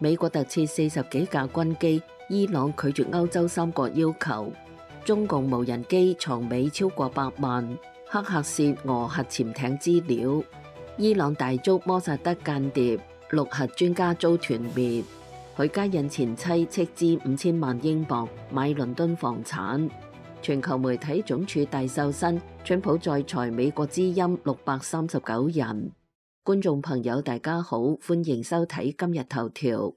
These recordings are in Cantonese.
美國特設40幾架軍機，伊朗拒絕歐洲3國要求。中共無人機藏尾超過100萬，黑客竊俄核潛艇資料。伊朗大捉摩薩德間諜，6核專家遭團滅。許家印前妻斥資5000萬英鎊買倫敦房產。全球媒體總署大瘦身，川普再裁美國之音639人。觀眾朋友大家好，歡迎收睇今日頭條。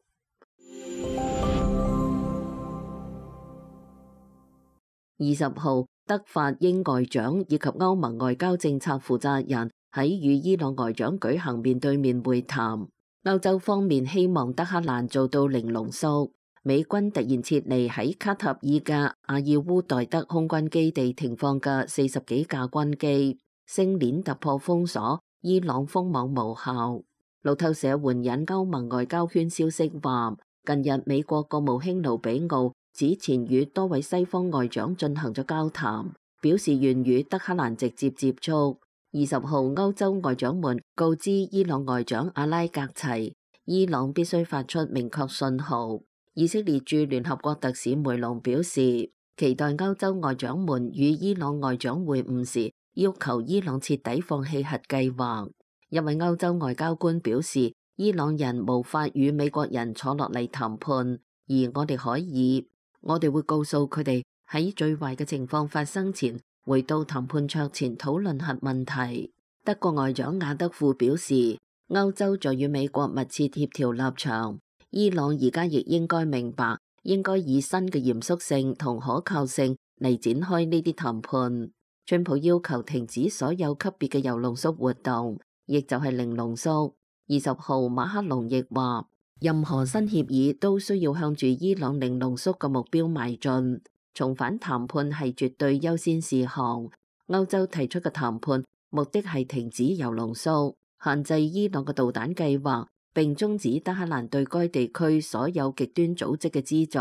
20號，德法英外長以及歐盟外交政策負責人喺與伊朗外長舉行面對面會談。歐洲方面希望德黑蘭做到零濃縮。美軍突然撤離喺卡塔爾嘅阿爾烏代德空軍基地停放嘅40幾架軍機，星鏈突破封鎖，伊朗封網無效。路透社援引歐盟外交圈消息話，近日美國國務卿盧比奧此前與多位西方外長進行咗交談，表示願與德黑蘭直接接觸。20號，歐洲外長們告知伊朗外長阿拉格齊，伊朗必須發出明確信號。以色列駐聯合國特使梅隆表示，期待歐洲外長們與伊朗外長會晤時，要求伊朗徹底放棄核計劃。一位歐洲外交官表示，伊朗人無法與美國人坐落嚟談判，而我哋可以，我哋會告訴佢哋喺最壞嘅情況發生前，回到談判桌前討論核問題。德國外長雅德庫表示，歐洲在與美國密切協調立場。伊朗而家亦應該明白，應該以新嘅嚴肅性同可靠性嚟展開呢啲談判。川普要求停止所有級別嘅鈾濃縮活動，亦就係零濃縮。20號，馬克龍亦話，任何新協議都需要向住伊朗零濃縮嘅目標邁進，重返談判係絕對優先事項。歐洲提出嘅談判目的係停止鈾濃縮，限制伊朗嘅導彈計劃，並終止德黑蘭對該地區所有極端組織嘅資助。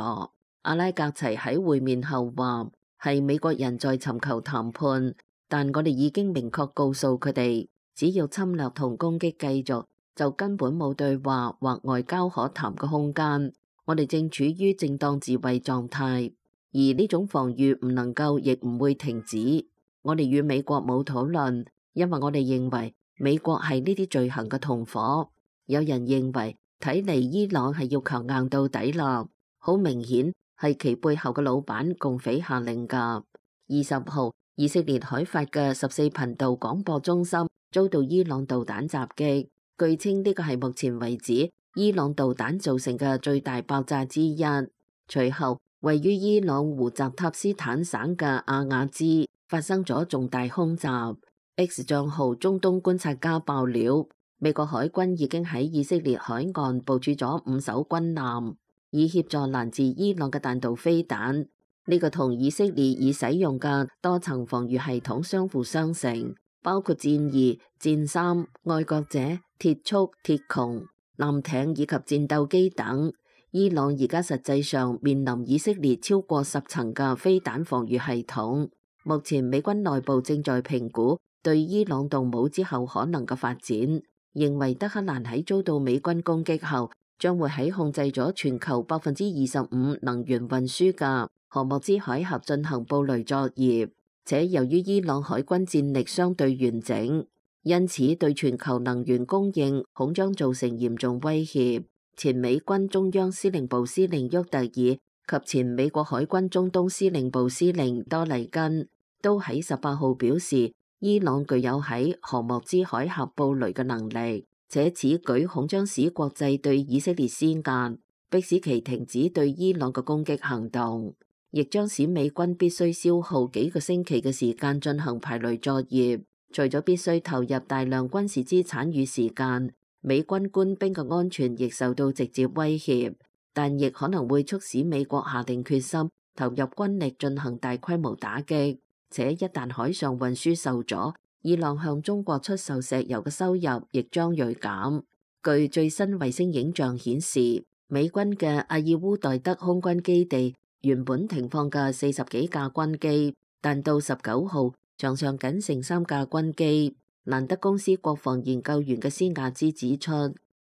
阿拉格齊喺會面後話，係美國人在尋求談判，但我哋已經明確告訴佢哋，只要侵略同攻擊繼續，就根本冇對話或外交可談嘅空間。我哋正處於正當自衛狀態，而呢種防禦唔能夠亦唔會停止。我哋與美國冇討論，因為我哋認為美國係呢啲罪行嘅同夥。有人認為，睇嚟伊朗係要強硬到底啦，好明顯係其背後嘅老闆共匪下令㗎。20號，以色列海法嘅14頻道廣播中心遭到伊朗導彈襲擊，據稱呢個係目前為止伊朗導彈造成嘅最大爆炸之一。隨後，位於伊朗胡澤塔斯坦省嘅阿瓦茲發生咗重大空襲。X 賬號中東觀察家爆料，美國海軍已經喺以色列海岸部署咗5艘軍艦，以協助攔截伊朗嘅彈道飛彈。呢個同以色列已使用嘅多層防禦系統相輔相成，包括戰2、戰3、愛國者、鐵束、鐵穹、艦艇以及戰鬥機等。伊朗而家實際上面臨以色列超過10層嘅飛彈防禦系統。目前美軍內部正在評估對伊朗動武之後可能嘅發展。認為德黑蘭喺遭到美軍攻擊後，將會喺控制咗全球25%能源運輸嘅荷莫茲海峽進行布雷作業，且由於伊朗海軍戰力相對完整，因此對全球能源供應恐將造成嚴重威脅。前美軍中央司令部司令沃特爾及前美國海軍中東司令部司令多黎根都喺18號表示，伊朗具有喺荷莫茲海峽布雷嘅能力，且此舉恐將使國際對以色列施壓，迫使其停止對伊朗嘅攻擊行動，亦將使美軍必須消耗幾個星期嘅時間進行排雷作業。除咗必須投入大量軍事資產與時間，美軍官兵嘅安全亦受到直接威脅，但亦可能會促使美國下定決心投入軍力進行大規模打擊。且一旦海上運輸受阻，伊朗向中國出售石油嘅收入亦將銳減。據最新衛星影像顯示，美軍嘅阿爾烏代德空軍基地原本停放嘅40幾架軍機，但到19號場上僅剩3架軍機。蘭德公司國防研究員嘅斯亞茲指出，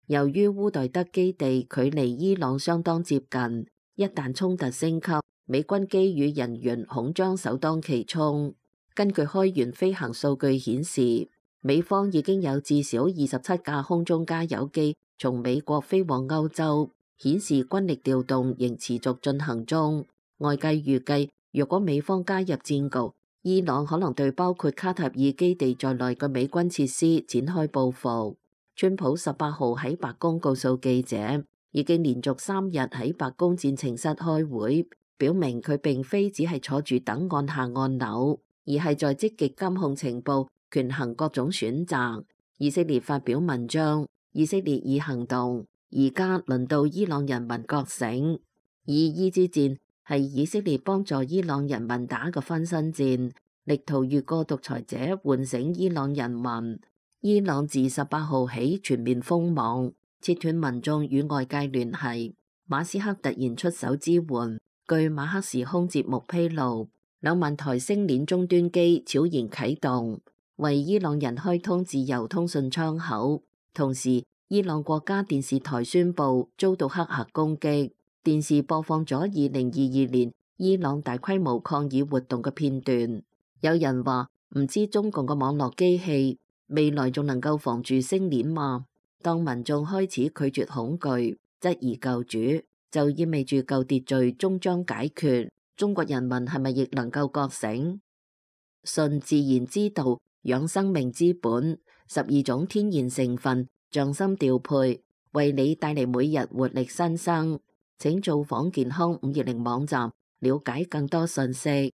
由於烏代德基地距離伊朗相當接近，一旦衝突升級，美軍機與人員恐將首當其衝。根據開源飛行數據顯示，美方已經有至少27架空中加油機從美國飛往歐洲，顯示軍力調動仍持續進行中。外界預計，若果美方加入戰局，伊朗可能對包括卡塔爾基地在內嘅美軍設施展開報復。川普18號喺白宮告訴記者，已經連續3日喺白宮戰情室開會，表明佢並非只係坐住等按下按鈕，而係在積極監控情報，權衡各種選擇。以色列發表文章，以色列已行動，而家輪到伊朗人民覺醒。以伊之戰係以色列幫助伊朗人民打嘅分身戰，力圖越過獨裁者喚醒伊朗人民。伊朗自18號起全面封網，切斷民眾與外界聯繫。馬斯克突然出手支援。據馬克時空節目披露，2萬台星鏈終端機悄然啟動，為伊朗人開通自由通訊窗口。同時，伊朗國家電視台宣布遭到黑客攻擊，電視播放咗2022年伊朗大規模抗議活動嘅片段。有人話唔知中共嘅網絡機器未來仲能夠防住星鏈嗎？當民眾開始拒絕恐懼，質疑救主，就意味住舊秩序終將解決。中國人民係咪亦能夠覺醒？信自然之道，養生命之本，12種天然成分，匠心調配，為你帶嚟每日活力新生。請造訪健康520網站，了解更多信息。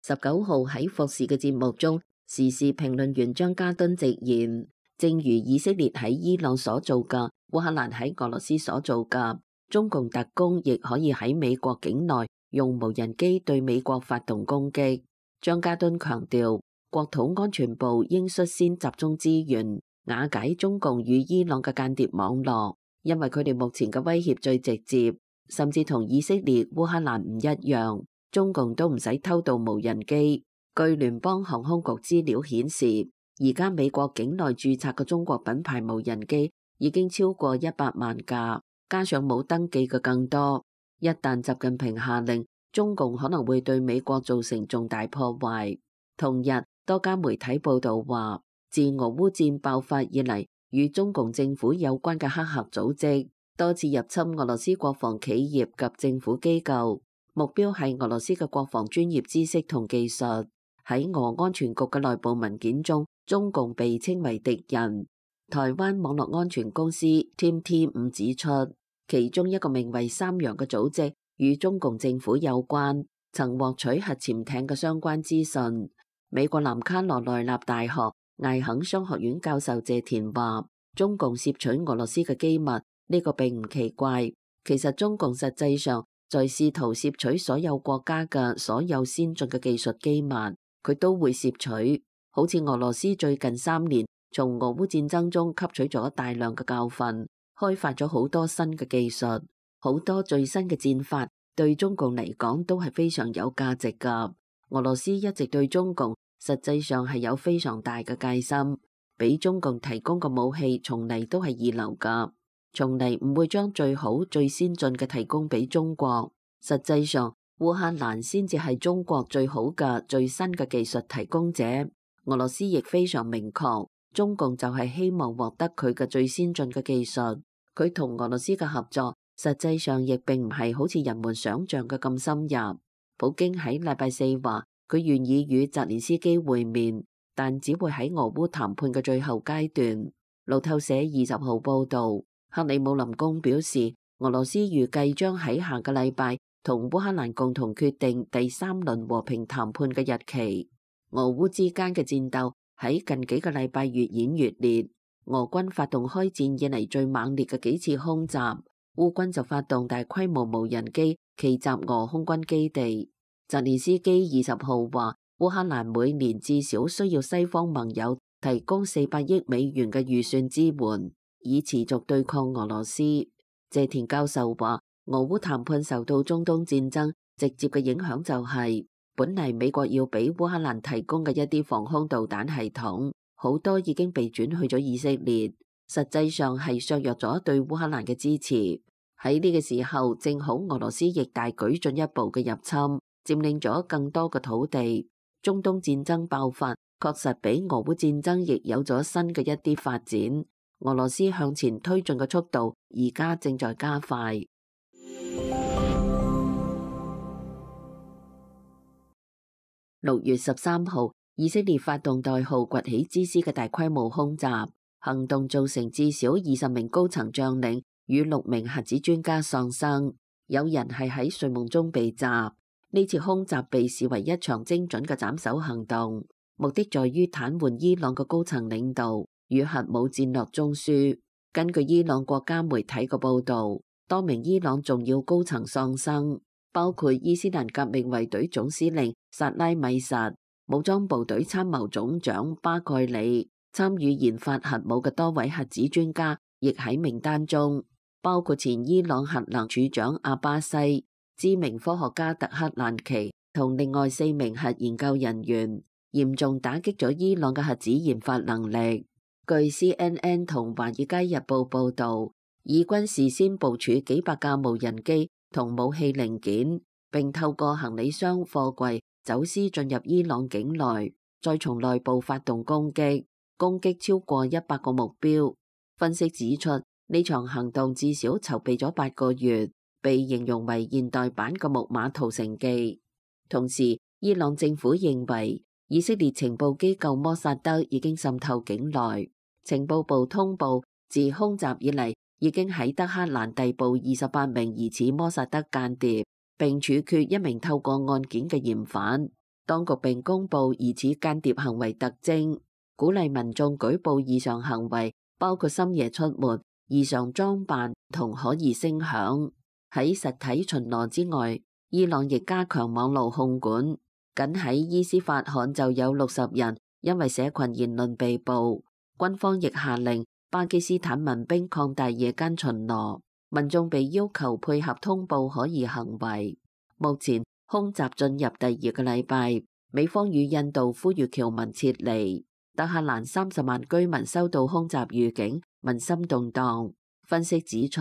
19號喺霍士嘅節目中，時事評論員張家敦直言，正如以色列喺伊朗所做嘅，烏克蘭喺俄羅斯所做嘅，中共特工亦可以喺美國境內用無人機對美國發動攻擊。張家敦強調，國土安全部應率先集中資源，瓦解中共與伊朗嘅間諜網絡，因為佢哋目前嘅威脅最直接，甚至同以色列、烏克蘭唔一樣。中共都唔使偷盜無人機。據聯邦航空局資料顯示，而家美國境內註冊嘅中國品牌無人機已經超過100萬架，加上冇登記嘅更多。一旦習近平下令，中共可能會對美國造成重大破壞。同日，多家媒體報道話，自俄烏戰爆發以嚟，與中共政府有關嘅黑客組織多次入侵俄羅斯國防企業及政府機構。目標係俄羅斯嘅國防專業知識同技術。喺俄安全局嘅內部文件中，中共被稱為敵人。台灣網絡安全公司 TeamT5 指出，其中一個名為三陽嘅組織與中共政府有關，曾獲取核潛艇嘅相關資訊。美國南卡羅來納大學艾肯商學院教授謝田話，中共竊取俄羅斯嘅機密，呢個並唔奇怪。其實中共實際上在試圖竊取所有國家嘅所有先進嘅技術機密，佢都會竊取。好似俄羅斯最近3年從俄烏戰爭中吸取咗大量嘅教訓，開發咗好多新嘅技術，好多最新嘅戰法對中共嚟講都係非常有價值㗎。俄羅斯一直對中共實際上係有非常大嘅戒心，俾中共提供嘅武器從嚟都係二流㗎。從嚟唔會將最好最先進嘅提供俾中國，實際上烏克蘭先至係中國最好嘅最新嘅技術提供者。俄羅斯亦非常明確，中共就係希望獲得佢嘅最先進嘅技術。佢同俄羅斯嘅合作實際上亦並唔係好似人們想象嘅咁深入。普京喺禮拜4話佢願意與澤連斯基會面，但只會喺俄烏談判嘅最後階段。路透社20號報道，克里姆林宮表示，俄羅斯預計將喺下個禮拜同烏克蘭共同決定第3輪和平談判嘅日期。俄烏之間嘅戰鬥喺近幾個禮拜越演越烈，俄軍發動開戰以嚟最猛烈嘅幾次空襲，烏軍就發動大規模無人機奇襲俄空軍基地。澤連斯基20號話，烏克蘭每年至少需要西方盟友提供400億美元嘅預算支援，以持續對抗俄羅斯。謝田教授話，俄烏談判受到中東戰爭直接嘅影響就係，本嚟美國要俾烏克蘭提供嘅一啲防空導彈系統，好多已經被轉去咗以色列，實際上係削弱咗對烏克蘭嘅支持。喺呢個時候，正好俄羅斯亦大舉進一步嘅入侵，佔領咗更多嘅土地。中東戰爭爆發，確實比俄烏戰爭亦有咗新嘅一啲發展。俄羅斯向前推進嘅速度而家正在加快。6月13號，以色列發動代號崛起之師嘅大規模空襲行動，造成至少20名高層將領與6名核子專家喪生，有人係喺睡夢中被襲。呢次空襲被視為一場精準嘅斬首行動，目的在於癱瘓伊朗嘅高層領導與核武戰略中樞。根據伊朗國家媒體嘅報導，多名伊朗重要高層喪生，包括伊斯蘭革命衛隊總司令薩拉米實、武裝部隊參謀總長巴蓋里，參與研發核武嘅多位核子專家亦喺名單中，包括前伊朗核能處長阿巴西、知名科學家特克蘭奇同另外4名核研究人員，嚴重打擊咗伊朗嘅核子研發能力。據 CNN 同華爾街日報報導，以軍事先部署幾百架無人機同武器零件，並透過行李箱、貨櫃走私進入伊朗境內，再從內部發動攻擊超過100個目標。分析指出，呢場行動至少籌備咗8個月，被形容為現代版嘅木馬屠城記。同時，伊朗政府認為以色列情報機構摩薩德已經滲透境內。情報部通報，自空襲以嚟，已經喺德黑蘭逮捕28名疑似摩薩德間諜，並處決1名透過案件嘅嫌犯。當局並公佈疑似間諜行為特徵，鼓勵民眾舉報異常行為，包括深夜出沒、異常裝扮同可疑聲響。喺實體巡邏之外，伊朗亦加強網絡控管。僅喺伊斯法罕就有60人因為社群言論被捕。軍方亦下令巴基斯坦民兵擴大夜間巡邏，民眾被要求配合通報可疑行為。目前空襲進入第2個禮拜，美方與印度呼籲僑民撤離。德黑蘭30萬居民收到空襲預警，民心動盪。分析指出，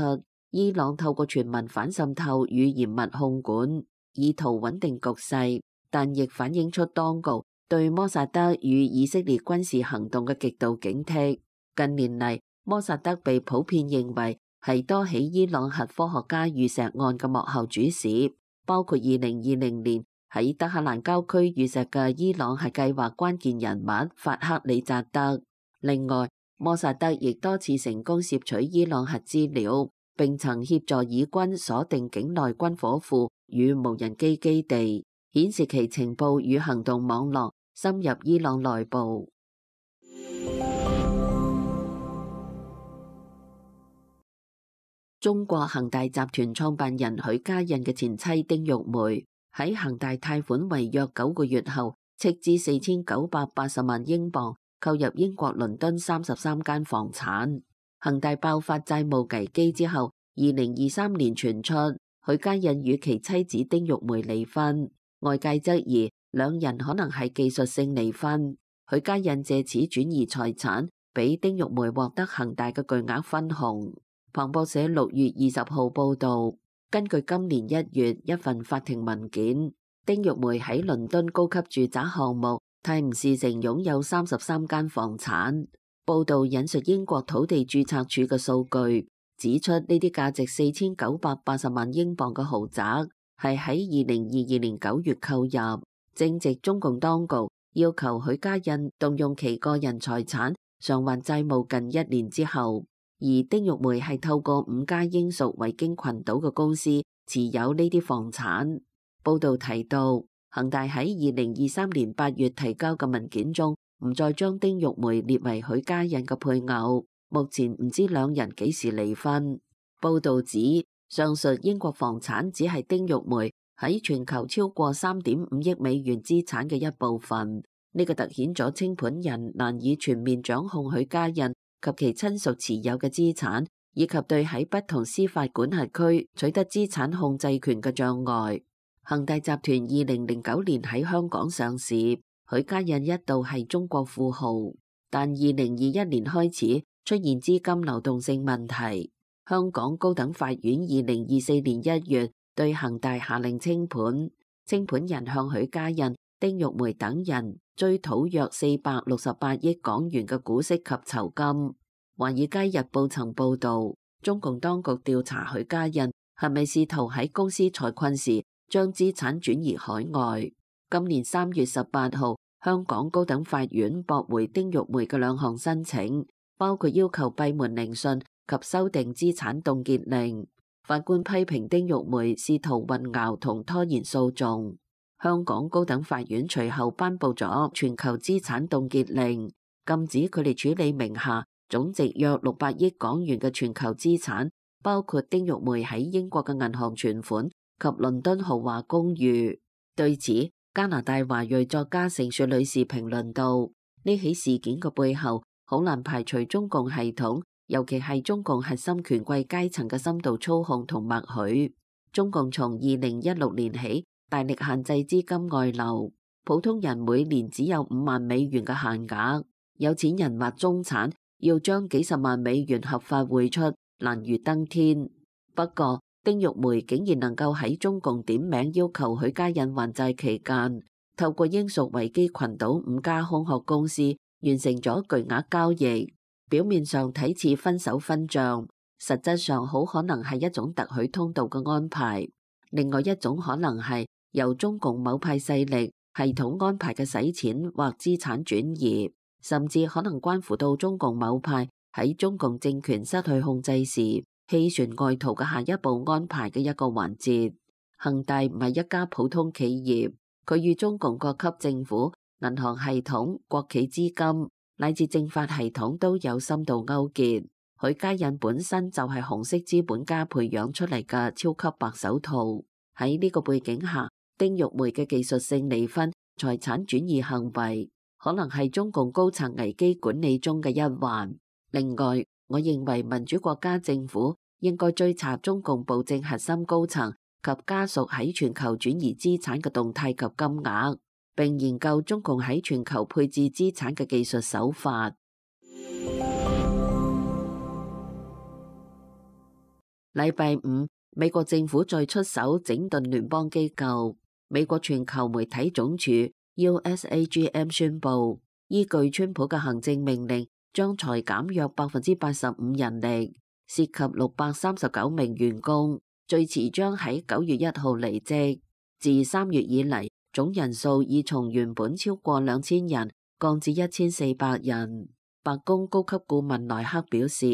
伊朗透過全民反滲透與嚴密控管，以圖穩定局勢，但亦反映出當局對摩薩德與以色列軍事行動嘅極度警惕。近年嚟，摩薩德被普遍認為係多起伊朗核科學家遇襲案嘅幕後主使，包括2020年喺德黑蘭郊區遇襲嘅伊朗核計劃關鍵人物法克里扎德。另外，摩薩德亦多次成功竊取伊朗核資料，並曾協助以軍鎖定境內軍火庫與無人機基地，顯示其情報與行動網絡深入伊朗內部。中國恒大集團創辦人許家印嘅前妻丁玉梅喺恒大貸款違約9個月後，斥資4980萬英鎊購入英國倫敦33間房產。恒大爆發債務危機之後，2023年傳出許家印與其妻子丁玉梅離婚，外界質疑兩人可能係技術性離婚。許家印借此轉移財產，俾丁玉梅獲得恒大嘅巨額分紅。彭博社6月20號報導，根據今年1月一份法庭文件，丁玉梅喺倫敦高級住宅項目泰晤士城擁有33間房產。報導引述英國土地註冊處嘅數據，指出呢啲價值4980萬英鎊嘅豪宅係喺2022年9月購入，正值中共當局要求許家印動用其個人財產償還債務近1年之後。而丁玉梅係透過5家英屬維京群島嘅公司持有呢啲房產。報導提到，恒大喺2023年8月提交嘅文件中，唔再將丁玉梅列為許家印嘅配偶。目前唔知兩人幾時離婚。報導指，上述英國房產只係丁玉梅喺全球超過3.5億美元資產嘅一部分。呢個凸顯咗清盤人難以全面掌控許家印及其親屬持有嘅資產，以及對喺不同司法管轄區取得資產控制權嘅障礙。恒大集團2009年喺香港上市，許家印一度係中國富豪。但2021年開始出現資金流動性問題。香港高等法院2024年1月對恒大下令清盤，清盤人向許家印、丁玉梅等人追討約468億港元嘅股息及酬金。華爾街日報曾報導，中共當局調查許家印係咪試圖喺公司財困時將資產轉移海外。今年3月18號，香港高等法院駁回丁玉梅嘅2項申請，包括要求閉門聆訊及修訂資產凍結令。法官批評丁玉梅試圖混淆同拖延訴訟。香港高等法院隨後頒布咗全球資產凍結令，禁止佢哋處理名下總值約600億港元嘅全球資產，包括丁玉梅喺英國嘅銀行存款及倫敦豪華公寓。對此，加拿大華裔作家成雪女士評論道：呢起事件嘅背後，好難排除中共系統，尤其係中共核心權貴階層嘅深度操控同默許。中共從2016年起大力限制資金外流，普通人每年只有5萬美元嘅限額，有錢人或中產要將幾十萬美元合法匯出，難如登天。不過，丁玉梅竟然能夠喺中共點名要求許家印還債期間，透過英屬維基群島5家空殼公司完成咗巨額交易。表面上睇似分手分賬，實質上好可能係一種特許通道嘅安排。另外一種可能係由中共某派勢力系統安排嘅洗錢或資產轉移，甚至可能關乎到中共某派喺中共政權失去控制時棄船外逃嘅下一步安排嘅一個環節。恒大唔係一家普通企業，佢與中共各級政府、銀行系統、國企資金乃至政法系統都有深度勾結。許家印本身就係紅色資本家培養出嚟嘅超級白手套。喺呢個背景下，丁玉梅嘅技術性離婚、財產轉移行為可能係中共高層危機管理中嘅一環。另外，我認為民主國家政府應該追查中共暴政核心高層及家屬喺全球轉移資產嘅動態及金額，並研究中共喺全球配置資產嘅技術手法。禮拜五，美國政府再出手整頓聯邦機構。美國全球媒體總署 USAGM 宣布，依據川普嘅行政命令，將裁減約85%人力，涉及639名員工，最遲將喺9月1號離職。自3月以嚟，總人數已從原本超過2000人降至1400人。白宮高級顧問萊克表示，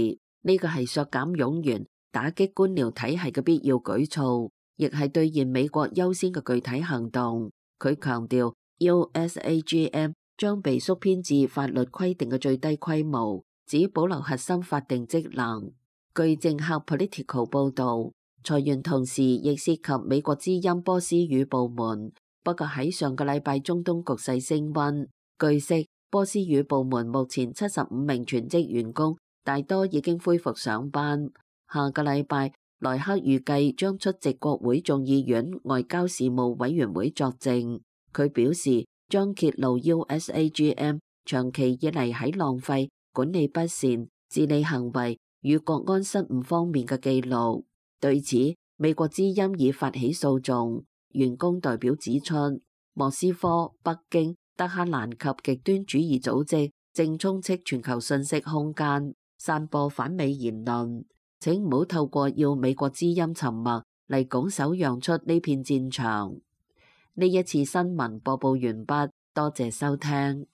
呢個係削減冗員、打擊官僚體系嘅必要舉措，亦係兌現美國優先嘅具體行動。佢強調 USAGM 將被縮編至法律規定嘅最低規模，只保留核心法定職能。據政客 Political 報導，裁員同時亦涉及美國之音波斯語部門。不過喺上個禮拜中東局勢升溫，據悉波斯語部門目前75名全職員工，大多已經恢復上班。下個禮拜，萊克預計將出席國會眾議院外交事務委員會作證。佢表示將揭露 USAGM 長期以嚟喺浪費、管理不善、治理行為與國安失誤方面嘅記錄。對此，美國之音已發起訴訟。員工代表指出，莫斯科、北京、德黑蘭及極端主義組織正充斥全球信息空間，散播反美言論。請唔好透過要美國之音沉默嚟拱手讓出呢片戰場。呢一次新聞播報完畢，多謝收聽。